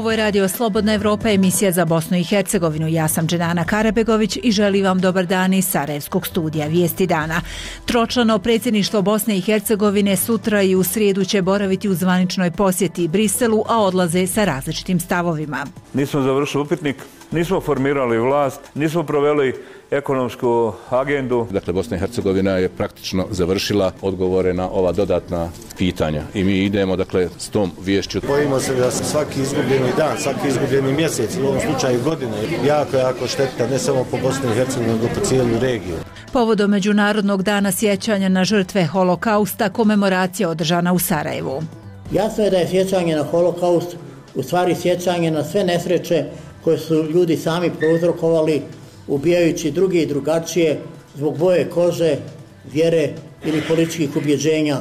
Ovo je Radio Slobodna Evropa, emisija za Bosnu i Hercegovinu. Ja sam Dženana Karabegović i želim vam dobar dan iz Sarajevskog studija Vijesti dana. Tročlano predsjedništvo Bosne i Hercegovine sutra i u srijedu će boraviti u zvaničnoj posjeti Briselu, a odlaze sa različitim stavovima. Nismo završili upitnik, nismo formirali vlast, nismo proveli ekonomsku agendu. Dakle, Bosna i Hercegovina je praktično završila odgovore na ova dodatna pitanja i mi idemo, dakle, s tom viješću. Bojimo se da svaki izgubljeni dan, svaki izgubljeni mjesec, u ovom slučaju godine, jako šteta, ne samo po Bosni i Hercegovini, nego po cijelu regiju. Povodom Međunarodnog dana sjećanja na žrtve holokausta, komemoracija održana u Sarajevu. Jasno je da je sjećanje na holokaust u stvari sjećanje na sve nesreće koje su ljudi sami prouzrokovali, ubijajući druge i drugačije zbog boje kože, vjere ili političkih ubjeđenja.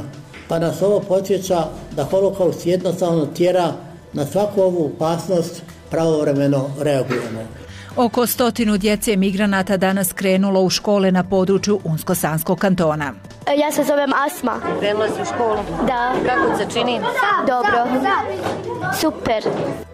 Pa nas ovo podsjeća da holokaust jednostavno tjera na svaku ovu opasnost pravovremeno reagujemo. Oko 100 djece migranata danas krenulo u škole na području Unsko-Sanskog kantona. Ja se zovem Asma. Krenula si u školu? Da. Kako se čini? Dobro. Super.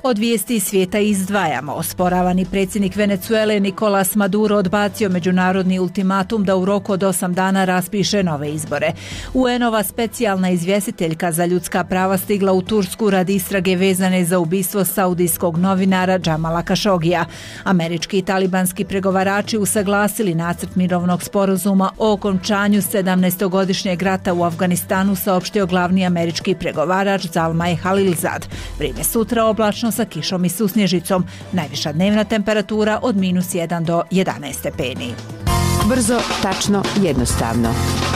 Od vijesti svijeta izdvajamo. Osporavani predsjednik Venezuele Nicolás Maduro odbacio međunarodni ultimatum da u roku od 8 dana raspiše nove izbore. UN-ova specijalna izvjestiteljka za ljudska prava stigla u Tursku radi istrage vezane za ubistvo saudijskog novinara Džamala Kašogija. Američki i talibanski pregovarači usaglasili nacrt mirovnog sporazuma o okončanju 17-godišnjeg rata u Afganistanu, saopštio glavni američki pregovarač Zalmay Khalilzad. Vrijeme sutra oblačno sa kišom i susnježicom. Najviša dnevna temperatura od -1 do 11 stepeni. Brzo, tačno, jednostavno.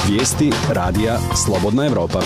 Vijesti radija Slobodna Evropa.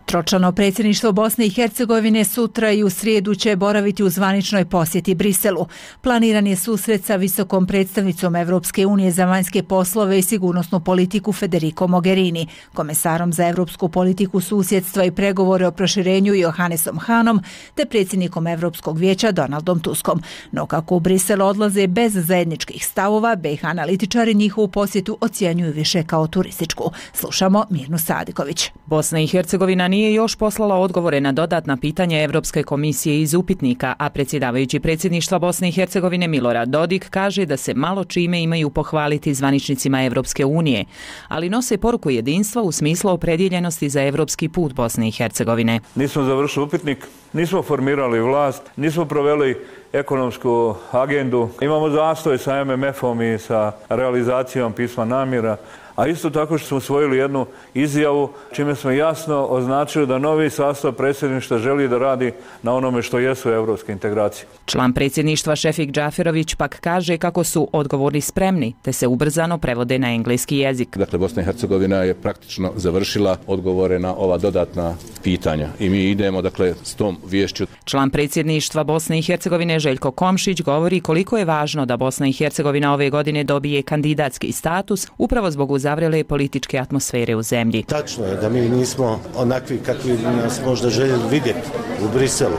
Tročlano predsjedništvo Bosne i Hercegovine sutra i u srijedu će boraviti u zvaničnoj posjeti Briselu. Planiran je susret sa visokom predstavnicom Evropske unije za vanjske poslove i sigurnosnu politiku Federico Mogherini, komesarom za evropsku politiku susjedstva i pregovore o proširenju Johannesom Hanom, te predsjednikom Evropskog vijeća Donaldom Tuskom. No kako u Briselu odlaze bez zajedničkih stavova, BiH analitičari njihovu posjetu ocjenjuju više kao turističku. Slušamo Mirnu Sadiković. Bosna i Hercegovina nije još poslala odgovore na dodatna pitanja Evropske komisije iz upitnika, a predsjedavajući predsjedništva Bosne i Hercegovine Milorad Dodik kaže da se malo čime imaju pohvaliti zvaničnicima Evropske unije, ali nose poruku jedinstva u smislu opredjeljenosti za evropski put Bosne i Hercegovine. Nismo završili upitnik, nismo formirali vlast, nismo proveli ekonomsku agendu, imamo zastoj sa MMF-om i sa realizacijom pisma namjera, a isto tako što smo usvojili jednu izjavu čime smo jasno označili da novi sastav predsjedništva želi da radi na onome što jesu evropske integracije. Član predsjedništva Šefik Džaferović pak kaže kako su odgovori spremni, te se ubrzano prevode na engleski jezik. Dakle, Bosna i Hercegovina je praktično završila odgovore na ova dodatna pitanja i mi idemo, dakle, s tom viješću. Član predsjedništva Bosne i Hercegovine Željko Komšić govori koliko je važno da Bosna i Hercegovina ove godine dobije kandidatski status upravo zbog uzavrele političke atmosfere u zemlji. Tačno je da mi nismo onakvi kakvi nas možda željeli vidjeti u Briselu,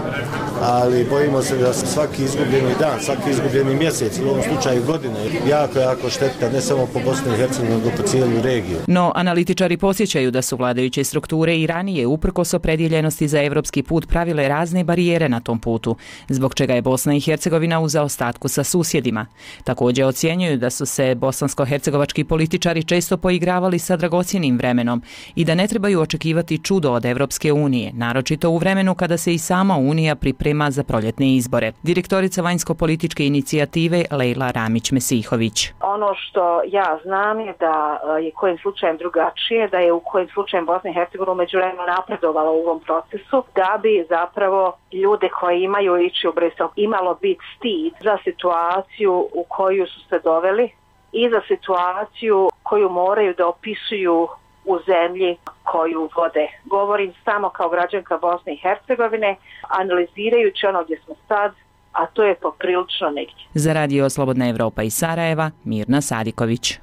ali bojimo se da svaki izgubljeni dan, svaki izgubljeni mjesec, u ovom slučaju godine, jako šteta, ne samo po Bosni i Hercegovini, nego po cijelu regiju. No, analitičari podsjećaju da su vladajuće strukture i ranije, uprkos opredjeljenosti za evropski put, pravile razne barijere na tom putu, zbog čega je Bosna i Hercegovina u zaostatku sa susjedima. Također ocjenjuju da su se bosansko-hercegovački političari često poigravali sa dragocjenim vremenom i da ne trebaju očekivati čudo od Evropske unije, naročito u vremenu kada se i sama Unija priprema za proljetne izbore. Direktorica vanjsko-političke inicijative Lejla Ramić-Mesihović. Ono što ja znam je da je kojim slučajem drugačije, da je u kojim slučajem Bosna i Hercegovina umeđuvremenu napredovala u ovom procesu, da bi zapravo ljude koji imaju ići u Brisel imalo biti stid za situaciju u koju su se doveli i za situaciju koju moraju da opisuju u zemlji koju vode. Govorim samo kao građanka Bosne i Hercegovine, analizirajući ono gdje smo sad, a to je poprilično negdje. Za Radio Slobodna Evropa iz Sarajeva, Mirna Sadiković.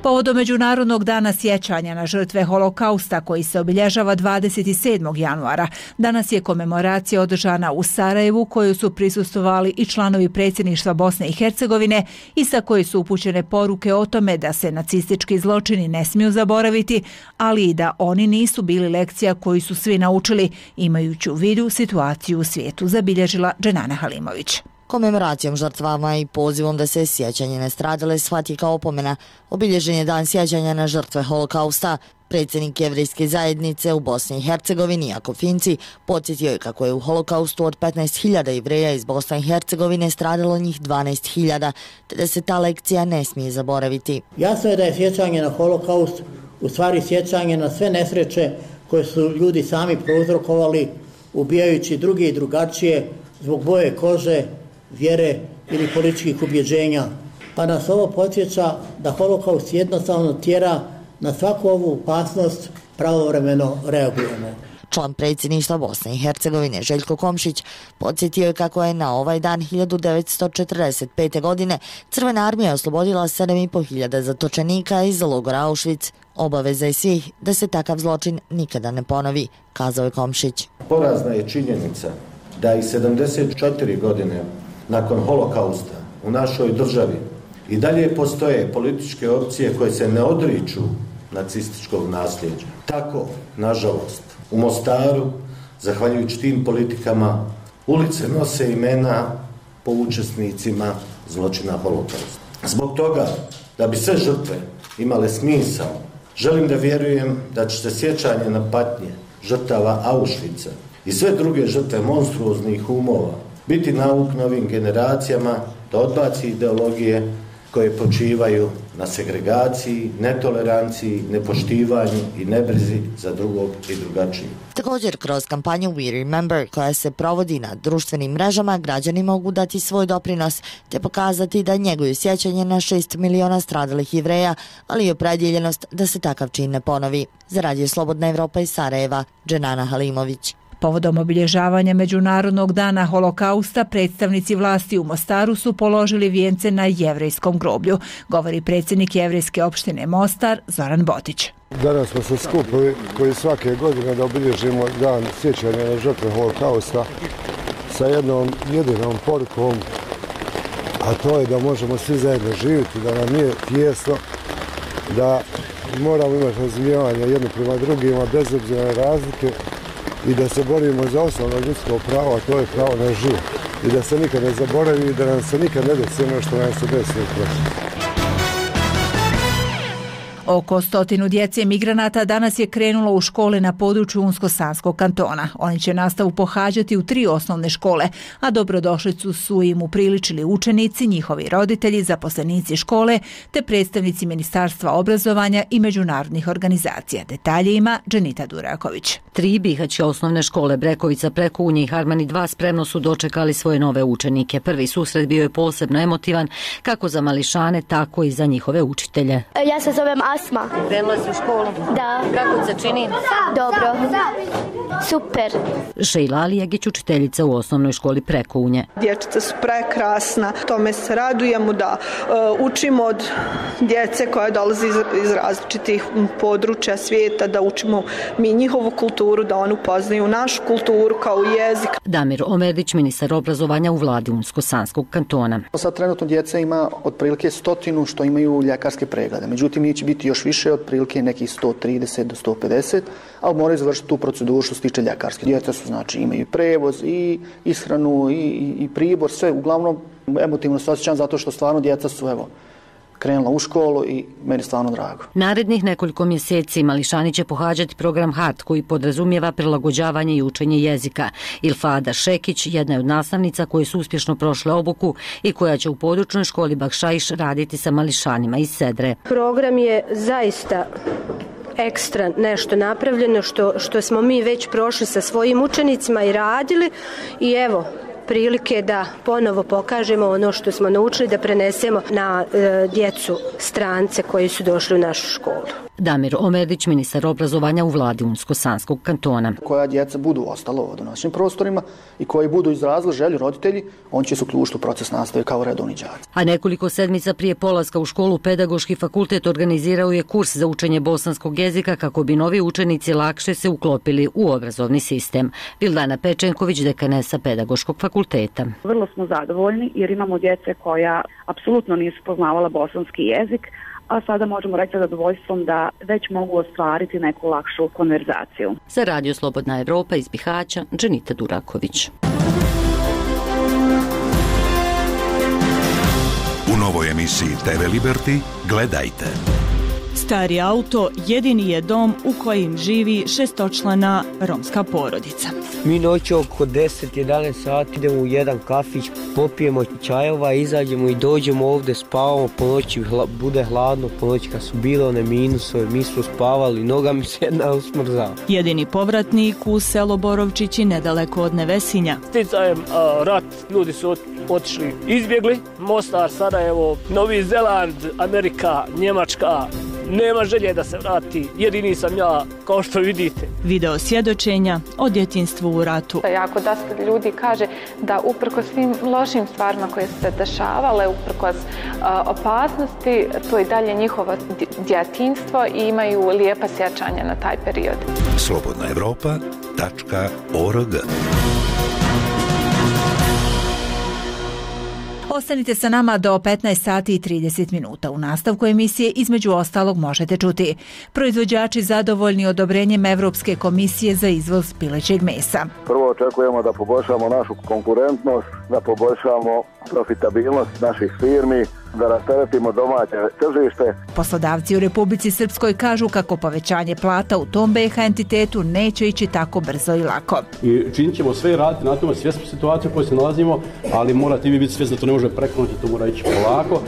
Povodom Međunarodnog dana sjećanja na žrtve holokausta koji se obilježava 27. januara, danas je komemoracija održana u Sarajevu koju su prisustvovali i članovi predsjedništva Bosne i Hercegovine i sa koje su upućene poruke o tome da se nacistički zločini ne smiju zaboraviti, ali i da oni nisu bili lekcija koju su svi naučili, imajući u vidu situaciju u svijetu, zabilježila Dženana Halimović. Komemoracijom žrtvama i pozivom da se sjećanje nastradale shvati kao opomena, obilježen je dan sjećanja na žrtve holokausta. Predsjednik Jevrejske zajednice u Bosni i Hercegovini, Jakov Finci, podsjetio je kako je u holokaustu od 15.000 Jevreja iz Bosne i Hercegovine stradalo njih 12.000, te da se ta lekcija ne smije zaboraviti. Jasno je da je sjećanje na holokaust u stvari sjećanje na sve nesreće koje su ljudi sami prouzrokovali, ubijajući druge i drugačije zbog boje kože, vjere ili političkih ubjeđenja. Pa nas ovo podsjeća da holokaust jednostavno tjera na svaku ovu opasnost pravovremeno reagujemo. Član predsjedništva Bosne i Hercegovine Željko Komšić podsjetio je kako je na ovaj dan 1945. godine Crvena armija oslobodila 7.500 zatočenika iz logora Auschwitz. Obaveza je svih da se takav zločin nikada ne ponovi, kazao je Komšić. Porazna je činjenica da i 74 godine nakon holokausta u našoj državi i dalje postoje političke opcije koje se ne odriču nacističkog nasljeđa. Tako, nažalost, u Mostaru, zahvaljujući tim politikama, ulice nose imena po učesnicima zločina holokausta. Zbog toga, da bi sve žrtve imale smisao, želim da vjerujem da će se sjećanje na patnje žrtava Auschwitza i sve druge žrtve monstruoznih umova biti nauk novim generacijama da odbaci ideologije koje počivaju na segregaciji, netoleranciji, nepoštivanju i nebrizi za drugog i drugačiji. Također, kroz kampanju We Remember, koja se provodi na društvenim mrežama, građani mogu dati svoj doprinos te pokazati da njeguju sjećanje na 6 miliona stradalih Jevreja, ali i opredjeljenost da se takav čin ne ponovi. Za Radio Slobodna Evropa iz Sarajeva, Dženana Halimović. Povodom obilježavanja Međunarodnog dana holokausta, predstavnici vlasti u Mostaru su položili vijence na jevrejskom groblju, govori predsjednik Jevrejske opštine Mostar Zoran Botić. Danas smo se skupili koji svake godine da obilježimo dan sjećanja na žrtve holokausta sa jednom jedinom porukom, a to je da možemo svi zajedno živjeti, da nam nije tijesno, da moramo imati razumijevanje jedni prema drugima bez obzira na razlike i da se borimo za osnovno ljudsko pravo, a to je pravo na život. I da se nikad ne zaboravi i da nam se nikad ne desi ono što nam se desilo prošlo. Oko 100 djece migranata danas je krenulo u škole na području Unsko-Sanskog kantona. Oni će nastavu pohađati u 3 osnovne škole, a dobrodošlicu su im upriličili učenici, njihovi roditelji, zaposlenici škole te predstavnici Ministarstva obrazovanja i međunarodnih organizacija. Detalje ima Dženita Duraković. 3 bihaćke osnovne škole Brekovica, Prekunje i Harmani 2 spremno su dočekali svoje nove učenike. Prvi susret bio je posebno emotivan kako za mališane, tako i za njihove učitelje. Ja se zovem Asma. Krenula si u školu? Da. Kako se čini? Dobro. Super. Šejla Alijegić, učiteljica u osnovnoj školi Prekunje. Dječica su prekrasna, tome se radujemo da učimo od djece koja dolazi iz različitih područja svijeta, da učimo mi njihovu kulturu, da oni upoznaju našu kulturu kao jezik. Damir Omerdić, ministar obrazovanja u vladi Unsko-Sanskog kantona. Sad trenutno djeca ima otprilike 100 što imaju ljekarske preglede, međutim njih će biti još više, otprilike nekih 130 do 150, ali moraju završiti tu proceduru što se tiče ljekarske. Djeca su, znači, imaju prevoz i ishranu i pribor, sve. Uglavnom, emotivno se osjećam zato što stvarno djeca su, evo, krenula u školu i meni stvarno drago. Narednih nekoliko mjeseci mališani će pohađati program HART koji podrazumijeva prilagođavanje i učenje jezika. Ilfada Šekić jedna je od nastavnica koje su uspješno prošle obuku i koja će u područnoj školi Bakšaiš raditi sa mališanima iz Sedre. Program je zaista ekstra nešto napravljeno što smo mi već prošli sa svojim učenicima i radili i evo, prilike da ponovo pokažemo ono što smo naučili, da prenesemo na djecu strance koji su došli u našu školu. Damir Omerdić, ministar obrazovanja u vladi Unsko-Sanskog kantona. Koja djeca budu ostala u našim prostorima i koji budu izrazili želju roditelji, on će se uključiti u proces nastave kao redovni đaci. A nekoliko sedmica prije polaska u školu Pedagoški fakultet organizirao je kurs za učenje bosanskog jezika kako bi novi učenici lakše se uklopili u obrazovni sistem. Vildana Pečenković, dekanesa Pedagoškog fakulteta. Vrlo smo zadovoljni jer imamo djece koja apsolutno nisu poznavala bosanski jezik, a sada možemo reći sa zadovoljstvom da već mogu ostvariti neku lakšu konverzaciju. Za Radio Slobodna Evropa iz Bihaća, Dženita Duraković. U novoj emisiji TV Liberty gledajte. Stari auto jedini je dom u kojem živi šestočlana romska porodica. Mi noći oko 10-11 sati idemo u jedan kafić, popijemo čajova, izađemo i dođemo ovdje, spavamo, po noći bude hladno, po noći kad su bile one minusove, mi smo spavali, noga mi se jedna usmrzala. Jedini povratnik u selo Borovčići nedaleko od Nevesinja. Sticajem rat, ljudi su otišli, izbjegli, Mostar, Sarajevo, Novi Zeland, Amerika, Njemačka. Nema želje da se vrati, jedini sam ja, kao što vidite. Video svjedočenja o djetinjstvu u ratu. Jako dosta ljudi kaže da uprkos svim lošim stvarima koje su se dešavale, uprkos opasnosti, to je dalje njihovo djetinjstvo i imaju lijepa sjećanja na taj period. slobodnaevropa.org. Ostanite sa nama do 15 sati i 30 minuta. U nastavku emisije između ostalog možete čuti: proizvođači zadovoljni odobrenjem Evropske komisije za izvoz pilećeg mesa. Prvo očekujemo da poboljšamo našu konkurentnost, da poboljšamo profitabilnost naših firmi, da rasteretimo domaće tržište. Poslodavci u Republici Srpskoj kažu kako povećanje plata u tom BiH entitetu neće ići tako brzo i lako. I činit ćemo sve raditi na tome, svjesni situacije u kojoj se nalazimo, ali morate vi biti svjesni da to ne može preko noći, to mora ići polako.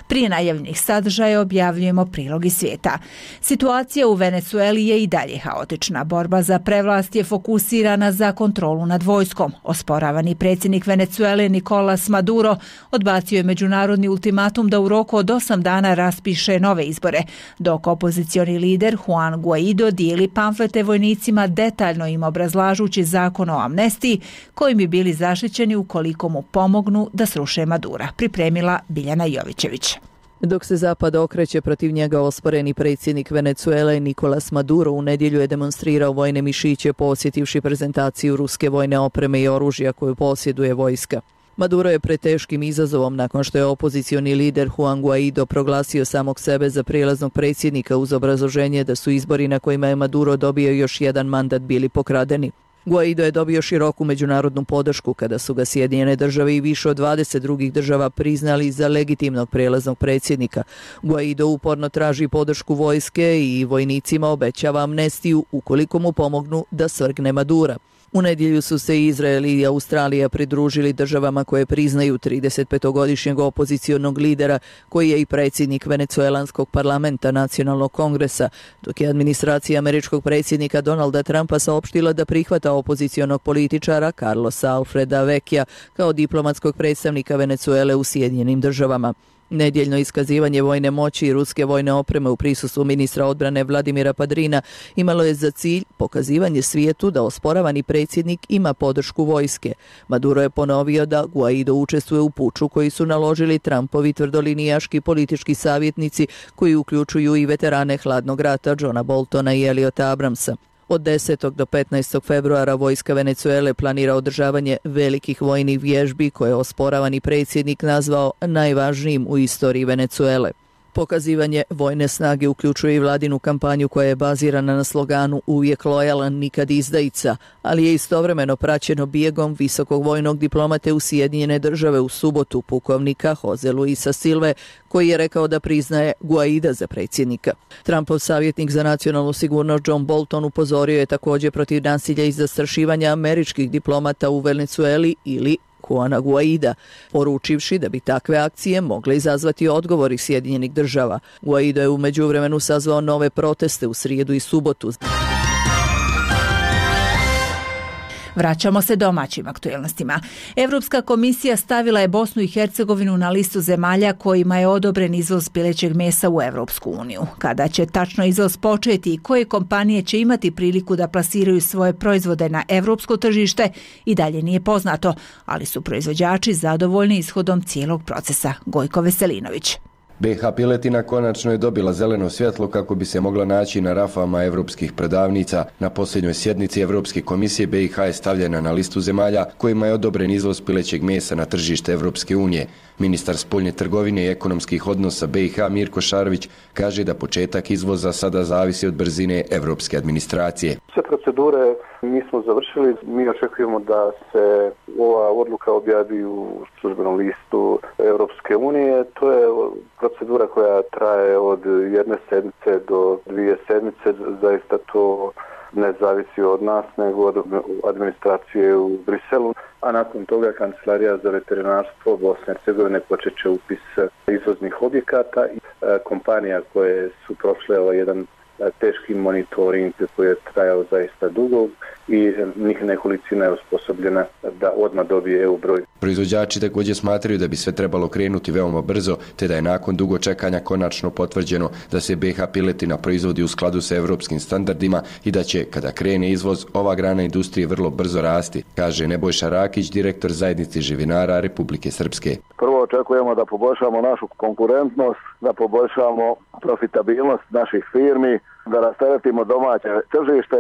Prije najavljenih sadržaja objavljujemo prilog iz svijeta. Situacija u Venecueli je i dalje haotična. Borba za prevlast je fokusirana za kontrolu nad vojskom. Osporavani predsjednik Venecuele Nicolas Maduro odbacio je međunarodni ultimatum da u roku od 8 dana raspiše nove izbore, dok opozicioni lider Juan Guaido dijeli pamflete vojnicima, detaljno im obrazlažući zakon o amnestiji kojim bi bili zaštićeni ukoliko mu pomognu da sruše Madura. Pripremila Biljana Jovićević. Dok se Zapad okreće protiv njega, osporeni predsjednik Venecuele Nicolas Maduro u nedjelju je demonstrirao vojne mišiće posjetivši prezentaciju ruske vojne opreme i oružja koju posjeduje vojska. Maduro je pred teškim izazovom nakon što je opozicioni lider Juan Guaido proglasio samog sebe za prijelaznog predsjednika uz obrazloženje da su izbori na kojima je Maduro dobio još jedan mandat bili pokradeni. Guaido je dobio široku međunarodnu podršku kada su ga Sjedinjene države i više od 20 drugih država priznali za legitimnog prijelaznog predsjednika. Guaido uporno traži podršku vojske i vojnicima obećava amnestiju ukoliko mu pomognu da svrgne Madura. U nedjelju su se Izrael i Australija pridružili državama koje priznaju 35-godišnjeg opozicionog lidera koji je i predsjednik venecuelanskog parlamenta Nacionalnog kongresa, dok je administracija američkog predsjednika Donalda Trumpa saopštila da prihvata opozicionog političara Carlosa Alfreda Vecchia kao diplomatskog predstavnika Venecuele u Sjedinjenim državama. Nedjeljno iskazivanje vojne moći i ruske vojne opreme u prisustvu ministra odbrane Vladimira Padrina imalo je za cilj pokazivanje svijetu da osporavani predsjednik ima podršku vojske. Maduro je ponovio da Guaido učestvuje u puču koji su naložili Trumpovi tvrdolinijaški politički savjetnici koji uključuju i veterane hladnog rata Johna Boltona i Eliota Abramsa. Od 10. do 15. februara vojska Venecuele planira održavanje velikih vojnih vježbi koje je osporavani predsjednik nazvao najvažnijim u istoriji Venecuele. Pokazivanje vojne snage uključuje i vladinu kampanju koja je bazirana na sloganu uvijek lojalan, nikad izdajica, ali je istovremeno praćeno bijegom visokog vojnog diplomate u Sjedinjene države u subotu, pukovnika Jose Luisa Silve, koji je rekao da priznaje Guaida za predsjednika. Trumpov savjetnik za nacionalnu sigurnost John Bolton upozorio je također protiv nasilja i zastrašivanja američkih diplomata u Venecueli ili Juana Guaida, poručivši da bi takve akcije mogle izazvati odgovori Sjedinjenih država. Guaido je u međuvremenu sazvao nove proteste u srijedu i subotu. Vraćamo se domaćim aktuelnostima. Europska komisija stavila je Bosnu i Hercegovinu na listu zemalja kojima je odobren izvoz pilećeg mesa u Europsku uniju. Kada će tačno izvoz početi i koje kompanije će imati priliku da plasiraju svoje proizvode na europsko tržište i dalje nije poznato, ali su proizvođači zadovoljni ishodom cijelog procesa. Gojko Veselinović. BiH piletina konačno je dobila zeleno svjetlo kako bi se mogla naći na rafama europskih prodavnica. Na posljednjoj sjednici Europske komisije BiH je stavljena na listu zemalja kojima je odobren izvoz pilećeg mesa na tržište Europske unije. Ministar spoljne trgovine i ekonomskih odnosa BiH Mirko Šarović kaže da početak izvoza sada zavisi od brzine europske administracije. Sve procedure mi smo završili, mi očekujemo da se ova odluka objavi u službenom listu Europske unije. To je procedura koja traje od jedne sedmice do 2 sedmice, zaista to ne zavisi od nas, nego od administracije u Briselu, a nakon toga Kancelarija za veterinarstvo Bosne i Hercegovine počet će upis izvoznih objekata i kompanija koje su prošle jedan teški monitoring koji je trajao zaista dugo i njih nekolicina je osposobljena da odmah dobije EU broj. Proizvođači također smatraju da bi sve trebalo krenuti veoma brzo, te da je nakon dugo čekanja konačno potvrđeno da se BiH piletina proizvodi u skladu sa europskim standardima i da će, kada krene izvoz, ova grana industrije vrlo brzo rasti, kaže Nebojša Rakić, direktor zajednice živinara Republike Srpske. Prvo očekujemo da poboljšamo našu konkurentnost, da poboljšamo profitabilnost naših firmi, da rasteretimo domaće tržište.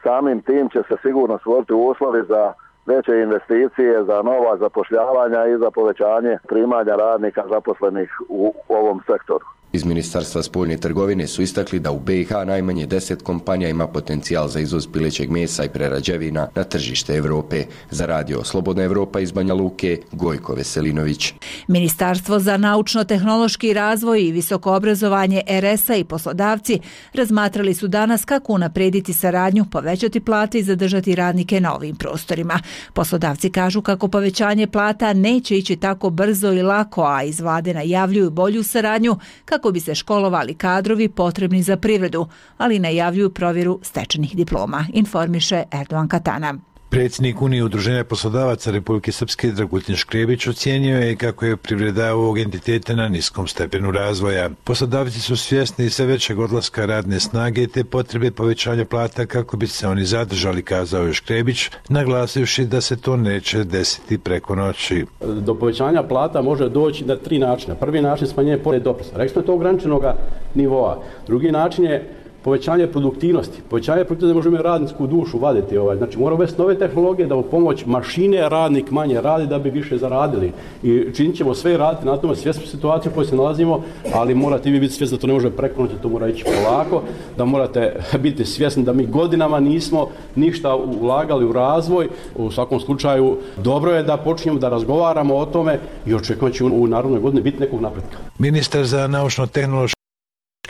Samim tim će se sigurno stvoriti uslovi za veće investicije, za nova zapošljavanja i za povećanje primanja radnika zaposlenih u ovom sektoru. Iz Ministarstva spoljne trgovine su istakli da u BiH najmanje 10 kompanija ima potencijal za izvoz pilećeg mesa i prerađevina na tržište Europe. Za radio Slobodna Evropa iz Banja Luke, Gojko Veselinović. Ministarstvo za naučno-tehnološki razvoj i visoko obrazovanje RS-a i poslodavci razmatrali su danas kako unaprediti saradnju, povećati plate i zadržati radnike na ovim prostorima. Poslodavci kažu kako povećanje plata neće ići tako brzo i lako, a iz vlade najavljuju bolju saradnju kako bi se školovali kadrovi potrebni za privredu, ali najavljuju provjeru stečenih diploma, informiše Erdogan Katana. Predsjednik Unije udruženja poslodavaca Republike Srpske Dragutin Škrebić ocijenio je kako je privreda ovog entiteta na niskom stepenu razvoja. Poslodavci su svjesni sve većeg odlaska radne snage te potrebe povećanja plata kako bi se oni zadržali, kazao je Škrebić, naglasivši da se to neće desiti preko noći. Do povećanja plata može doći na 3 načina. Prvi način smanjenje poreza doprinosa. Rekli smo je to ograničenog nivoa. Drugi način je povećanje produktivnosti. Povećanje produktivnosti možemo radničku dušu vaditi. Znači moramo uvesti nove tehnologije da u pomoć mašine radnik manje radi da bi više zaradili. I činit ćemo sve raditi na tome, svjesni situaciju u kojoj se nalazimo, ali morate vi biti svjesni da to ne može preko noći, to mora ići polako, da morate biti svjesni da mi godinama nismo ništa ulagali u razvoj. U svakom slučaju dobro je da počinjemo da razgovaramo o tome i očekujemo će u narednoj godini biti nekog napretka. Ministar za naučno-tehnološki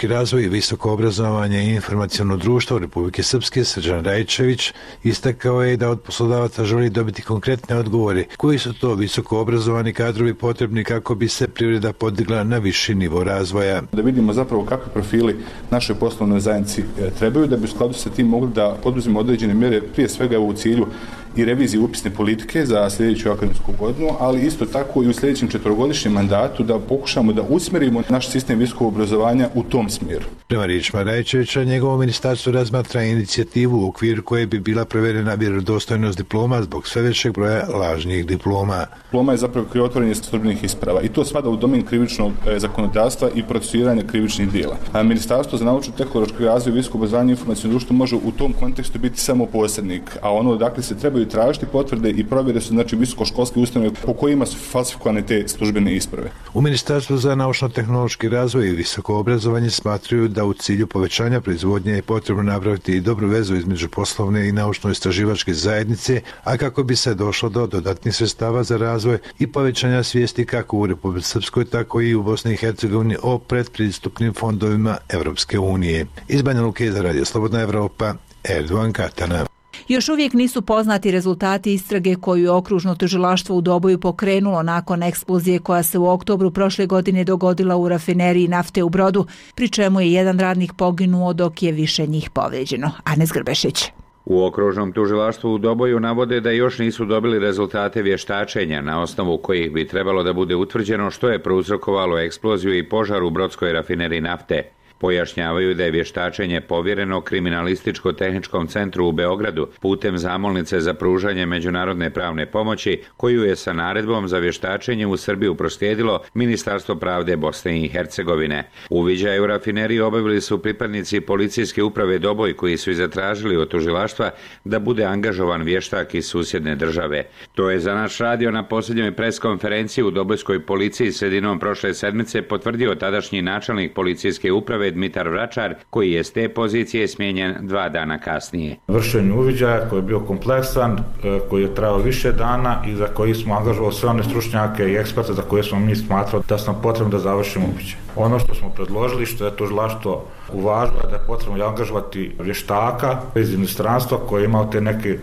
razvoj i visoko obrazovanje i informaciono društvo Republike Srpske Srđan Rajčević istakao je da od poslodavaca želi dobiti konkretne odgovore koji su to visoko obrazovani kadrovi potrebni kako bi se privreda podigla na viši nivo razvoja. Da vidimo zapravo kakvi profili naše poslovne zajednici trebaju da bi u skladu sa tim mogli da poduzmemo određene mjere, prije svega u cilju i reviziji upisne politike za sljedeću akademsku godinu, ali isto tako i u sljedećem 4-godišnjem mandatu da pokušamo da usmjerimo naš sistem visokog obrazovanja u tom smjeru. Prema riječima Rajčevića, njegovo ministarstvo razmatra inicijativu u okviru koje bi bila proverena vjerodostojnost diploma zbog sve većeg broja lažnih diploma. Diploma je zapravo krivotvorenje službenih isprava i to spada u domen krivičnog zakonodavstva i procesuiranja krivičnih djela. A Ministarstvo za naučno-tehnološki razvoj i visoko obrazovanje i informaciono društvo može u tom kontekstu biti samo posrednik, a ono dakle se trebaju tražiti potvrde i provjere su znači visokoškolske ustanove po kojima su falsifikovane te službene isprave. U Ministarstvu za naučno-tehnološki razvoj i visoko obrazovanje smatruju da u cilju povećanja proizvodnje je potrebno napraviti i dobru vezu između poslovne i naučno-istraživačke zajednice, a kako bi se došlo do dodatnih sredstava za razvoj i povećanja svijesti kako u Republici Srpskoj, tako i u Bosni i Hercegovini o predpristupnim fondovima Evropske unije. Iz Banja Luke za radio Slobodna Evropa, Erdogan Katana. Još uvijek nisu poznati rezultati istrage koju je okružno tužilaštvo u Doboju pokrenulo nakon eksplozije koja se u oktobru prošle godine dogodila u rafineriji nafte u Brodu, pri čemu je jedan radnik poginuo dok je više njih povrijeđeno. Anes Grbešić. U okružnom tužilaštvu u Doboju navode da još nisu dobili rezultate vještačenja na osnovu kojih bi trebalo da bude utvrđeno što je prouzrokovalo eksploziju i požar u brodskoj rafineriji nafte. Pojašnjavaju da je vještačenje povjereno Kriminalističko-tehničkom centru u Beogradu putem zamolnice za pružanje međunarodne pravne pomoći koju je sa naredbom za vještačenje u Srbiju proslijedilo Ministarstvo pravde Bosne i Hercegovine. Uviđaj u rafineriji obavili su pripadnici policijske uprave Doboj koji su i zatražili od tužilaštva da bude angažovan vještak iz susjedne države. To je za naš radio na posljednjoj preskonferenciji u Dobojskoj policiji sredinom prošle sedmice potvrdio tadašnji načelnik policijske uprave Dmitar Vračar, koji je s te pozicije smijenjen 2 dana kasnije. Vršenje uviđaja koji je bio kompleksan, koji je trajao više dana i za koji smo angažovali sve one stručnjake i eksperte za koje smo mi smatrali da smo potrebno da završimo uviđaj. Ono što smo predložili, što je tužilaštvo uvažilo, da je potrebno angažovati vještaka iz inostranstva koji je imao te neke,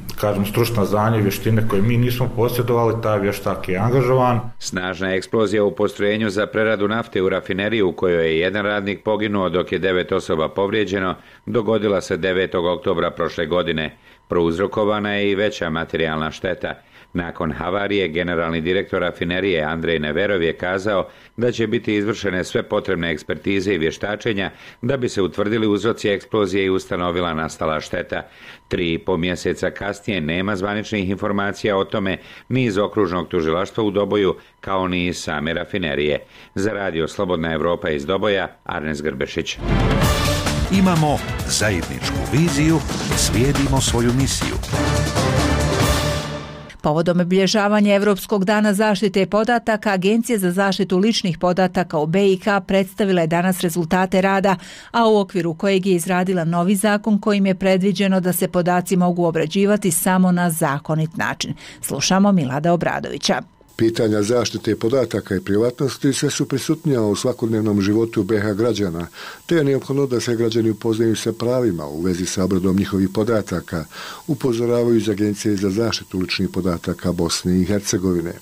stručna znanja i vještine koje mi nismo posjedovali, taj vještak je angažovan. Snažna eksplozija u postrojenju za preradu nafte u rafineriji u kojoj je 1 radnik poginuo dok je 9 osoba povrijeđeno, dogodila se 9. oktobra prošle godine. Prouzrokovana je i veća materijalna šteta. Nakon havarije, generalni direktor rafinerije Andrej Neverov je kazao da će biti izvršene sve potrebne ekspertize i vještačenja da bi se utvrdili uzroci eksplozije i ustanovila nastala šteta. 3,5 mjeseca kasnije nema zvaničnih informacija o tome ni iz okružnog tužilaštva u Doboju, kao ni iz same rafinerije. Za radio Slobodna Evropa iz Doboja, Arnes Grbešić. Imamo zajedničku viziju, slijedimo svoju misiju. Povodom obilježavanja Europskog dana zaštite podataka, Agencija za zaštitu ličnih podataka u BiH predstavila je danas rezultate rada, a u okviru kojeg je izradila novi zakon kojim je predviđeno da se podaci mogu obrađivati samo na zakonit način. Slušamo Milada Obradovića. Pitanja zaštite podataka i privatnosti sve su prisutnija u svakodnevnom životu BiH građana, te je neophodno da se građani upoznaju sa pravima u vezi sa obradom njihovih podataka, upozoravaju iz Agencije za zaštitu ličnih podataka Bosne i Hercegovine.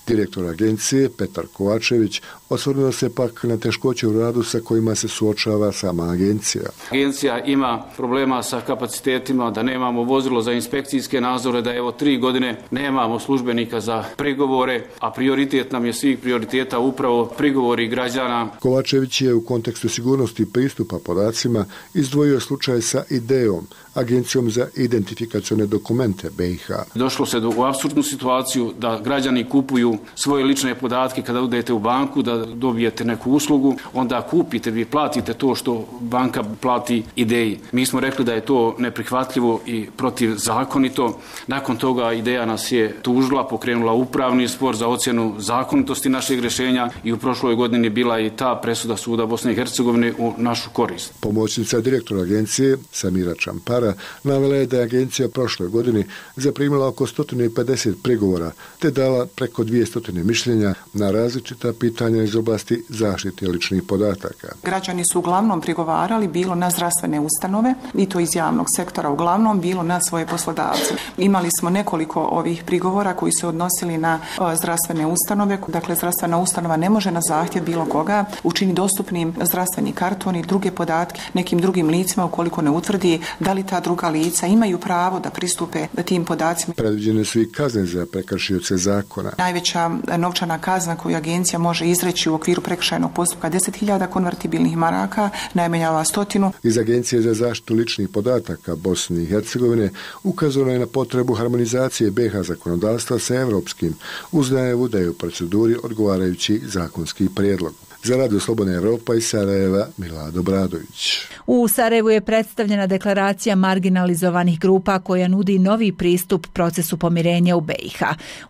Direktor agencije Petar Kovačević osvrnuo se pak na teškoće u radu sa kojima se suočava sama agencija. Agencija ima problema sa kapacitetima, da nemamo vozilo za inspekcijske nadzore, da 3 godine nemamo službenika za prigovore, a prioritet nam je svih prioriteta upravo prigovori građana. Kovačević je u kontekstu sigurnosti pristupa podacima izdvojio slučaj sa IDEom, Agencijom za identifikacione dokumente BiH. Došlo se u apsurdnu situaciju da građani kupuju svoje lične podatke kada odete u banku, da dobijete neku uslugu, onda kupite, vi platite to što banka plati IDEji. Mi smo rekli da je to neprihvatljivo i protivzakonito. Nakon toga IDEja nas je tužila, pokrenula upravni spor za ocjenu zakonitosti našeg rješenja i u prošloj godini bila i ta presuda suda Bosne i Hercegovine u našu korist. Pomoćnica direktora agencije Samira Čampara navela je da je agencija prošle godine zaprimila oko 150 prigovora te dala preko 200 mišljenja na različita pitanja iz oblasti zaštite ličnih podataka. Građani su uglavnom prigovarali bilo na zdravstvene ustanove i to iz javnog sektora uglavnom, bilo na svoje poslodavce. Imali smo nekoliko ovih prigovora koji se odnosili na zdravstvene ustanove. Dakle, zdravstvena ustanova ne može na zahtjev bilo koga učini dostupnim zdravstveni karton i druge podatke nekim drugim licima ukoliko ne utvrdi da li ta druga lica imaju pravo da pristupe tim podacima. Predviđene su i kazne za prekršioce zakona. Najveća novčana kazna koju agencija može izreći u okviru prekršajnog postupka 10.000 konvertibilnih maraka, najmanja 100. Iz Agencije za zaštitu ličnih podataka Bosne i Hercegovine ukazano je na potrebu harmonizacije BiH zakonodavstva sa europskim, uz najavu da je u proceduri odgovarajući zakonski prijedlog. Za radio Slobodna Evropa iz Sarajeva, Milado Bradović. U Sarajevu je predstavljena deklaracija marginalizovanih grupa koja nudi novi pristup procesu pomirenja u BiH.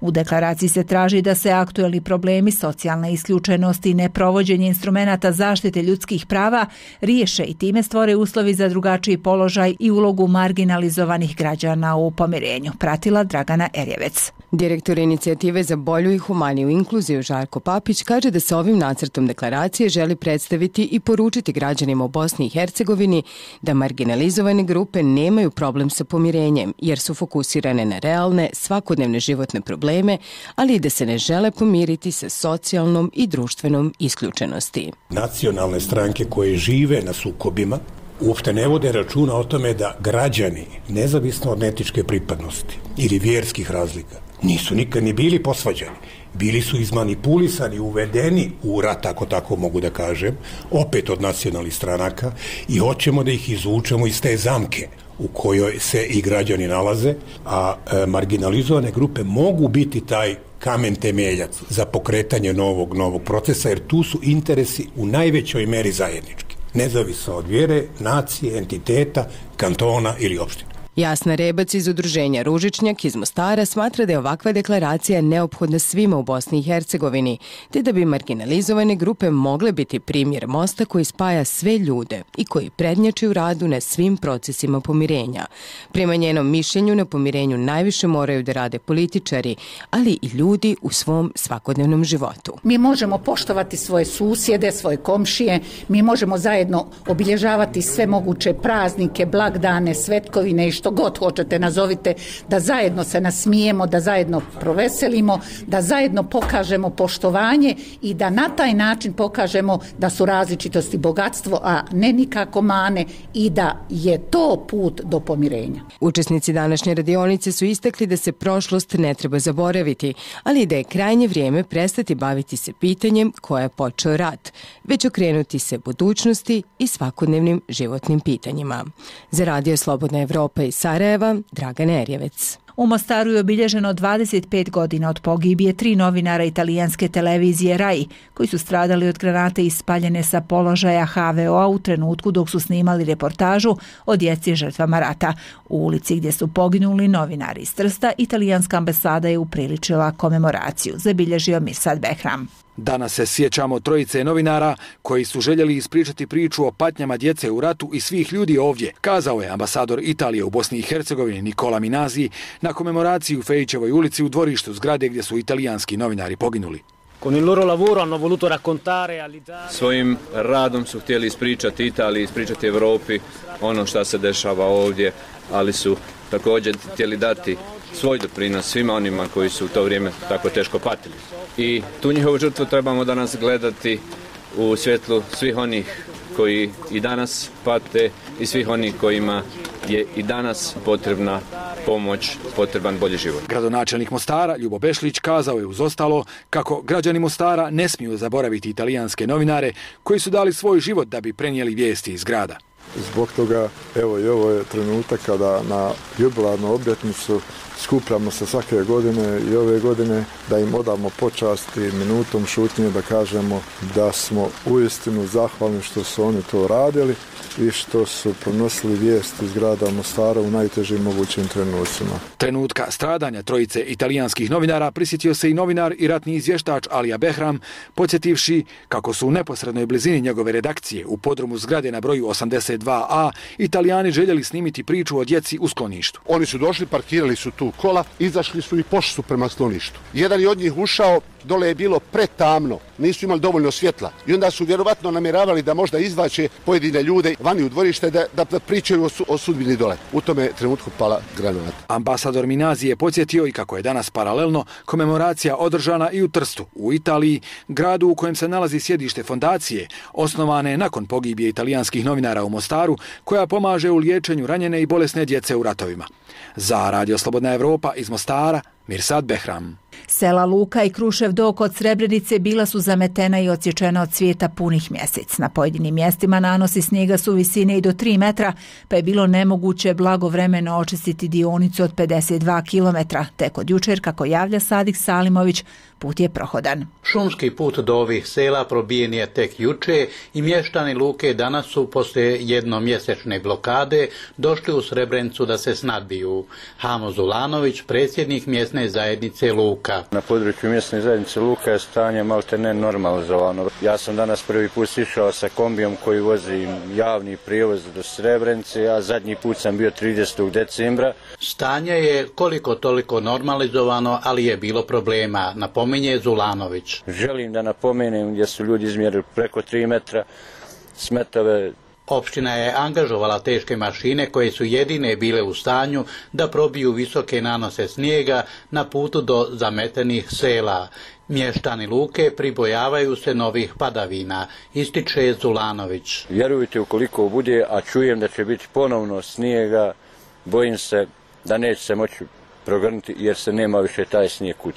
U deklaraciji se traži da se aktuelni problemi socijalne isključenosti i neprovođenje instrumenata zaštite ljudskih prava riješe i time stvore uslovi za drugačiji položaj i ulogu marginalizovanih građana u pomirenju. Pratila Dragana Erjevec. Direktor inicijative za bolju i humaniju inkluziju Žarko Papić kaže da se ovim nacrtom deklaracije želi predstaviti i poručiti građanima u Bosni i Hercegovini da marginalizovane grupe nemaju problem sa pomirenjem jer su fokusirane na realne, svakodnevne životne probleme, ali i da se ne žele pomiriti sa socijalnom i društvenom isključenosti. Nacionalne stranke koje žive na sukobima uopšte ne vode računa o tome da građani, nezavisno od etničke pripadnosti ili vjerskih razlika, nisu nikad ni bili posvađani. Bili su izmanipulisani, uvedeni u rat, ako tako mogu da kažem, opet od nacionalnih stranaka i hoćemo da ih izvučemo iz te zamke u kojoj se i građani nalaze, a marginalizovane grupe mogu biti taj kamen temeljac za pokretanje novog procesa, jer tu su interesi u najvećoj meri zajednički, nezavisno od vjere, nacije, entiteta, kantona ili opštine. Jasna Rebac iz udruženja Ružičnjak iz Mostara smatra da je ovakva deklaracija neophodna svima u Bosni i Hercegovini, te da bi marginalizovane grupe mogle biti primjer mosta koji spaja sve ljude i koji prednjači u radu na svim procesima pomirenja. Prema njenom mišljenju, na pomirenju najviše moraju da rade političari, ali i ljudi u svom svakodnevnom životu. Mi možemo poštovati svoje susjede, svoje komšije, mi možemo zajedno obilježavati sve moguće praznike, blagdane, svetkovine i što god hoćete nazovite, da zajedno se nasmijemo, da zajedno proveselimo, da zajedno pokažemo poštovanje i da na taj način pokažemo da su različitosti bogatstvo, a ne nikako mane, i da je to put do pomirenja. Učesnici današnje radionice su istakli da se prošlost ne treba zaboraviti, ali da je krajnje vrijeme prestati baviti se pitanjem koje je počeo rat, već okrenuti se budućnosti i svakodnevnim životnim pitanjima. Za Radio Slobodna Evropa iz Sarajeva, Dragan Erjevec. U Mostaru je obilježeno 25 godina od pogibije 3 novinara italijanske televizije RAI, koji su stradali od granate ispaljene sa položaja HVO-a u trenutku dok su snimali reportažu o djeci žrtvama rata. U ulici gdje su poginuli novinari iz Trsta, italijanska ambasada je upriličila komemoraciju, zabilježio Mirsad Behram. Danas se sjećamo trojice novinara koji su željeli ispričati priču o patnjama djece u ratu i svih ljudi ovdje, kazao je ambasador Italije u Bosni i Hercegovini Nicola Minasi na komemoraciji u Fejićevoj ulici u dvorištu zgrade gdje su italijanski novinari poginuli. Svojim radom su htjeli ispričati Italiji, ispričati Europi ono što se dešava ovdje, ali su također htjeli dati svoj doprinos svima onima koji su u to vrijeme tako teško patili. I tu njihovu žrtvu trebamo danas gledati u svjetlu svih onih koji i danas pate i svih onih kojima je i danas potrebna pomoć, potreban bolji život. Gradonačelnik Mostara, Ljubo Bešlić, kazao je uz ostalo kako građani Mostara ne smiju zaboraviti italijanske novinare koji su dali svoj život da bi prenijeli vijesti iz grada. Zbog toga, evo i ovo je trenutak kada na jubilarnu obljetnicu skupljamo se svake godine i ove godine da im odamo počast i minutom šutnje da kažemo da smo uistinu zahvalni što su oni to radili i što su pronosili vijesti iz grada Mostara u najtežim mogućim trenucima. Trenutka stradanja trojice italijanskih novinara prisjetio se i novinar i ratni izvještač Alija Behram, podsjetivši kako su u neposrednoj blizini njegove redakcije u podrumu zgrade na broju 82A Italijani željeli snimiti priču o djeci u skloništu. Oni su došli, parkirali su tu kola, izašli su i pošli su prema skloništu. Jedan je od njih ušao, dole je bilo pretamno, nisu imali dovoljno svjetla i onda su vjerovatno namjeravali da možda izvaće pojedine ljude vani u dvorište da pričaju o sudbini dole. U tome trenutku pala granata. Ambasador Minasi je podsjetio i kako je danas paralelno komemoracija održana i u Trstu, u Italiji, gradu u kojem se nalazi sjedište fondacije, osnovane nakon pogibije italijanskih novinara u Mostaru, koja pomaže u liječenju ranjene i bolesne djece u ratovima. Za Radio Slobodna Evropa iz Mostara, Mirsad Behram. Sela Luka i Krušev do kod Srebrenice bila su zametena i odsječena od cvijeta punih mjesec. Na pojedinim mjestima nanosi snijega su visine i do 3 metra, pa je bilo nemoguće blagovremeno očistiti dionicu od 52 km. Tek od jučer, kako javlja Sadik Salimović, put je prohodan. Šumski put do ovih sela probijen je tek juče i mještani Luke danas su poslije jednomjesečne blokade došli u Srebrenicu da se snadbiju. Hamo Zulanović, predsjednik mjesne zajednice Luka. Na području mjesne zajednice Luka je stanje malte ne normalizovano. Ja sam danas prvi put išao sa kombijom koji vozi javni prijevoz do Srebrenice, a zadnji put sam bio 30. decembra. Stanje je koliko toliko normalizovano, ali je bilo problema, napominje Zulanović. Želim da napomenem gdje su ljudi izmjerili preko 3 metra, smetove Opština je angažovala teške mašine koje su jedine bile u stanju da probiju visoke nanose snijega na putu do zametenih sela. Mještani Luke pribojavaju se novih padavina, ističe Zulanović. Vjerujte, ukoliko bude, a čujem da će biti ponovno snijega, bojim se da neće se moći progrnuti jer se nema više taj snijeg kud.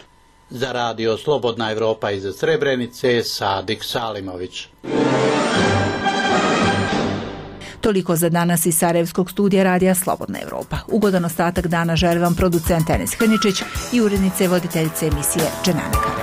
Za radio Slobodna Evropa iz Srebrenice, Sadik Salimović. Toliko za danas iz Sarajevskog studija radija Slobodna Evropa. Ugodan ostatak dana želi vam producent Enis Hrničić i urednice voditeljice emisije Dženana Karađorđević.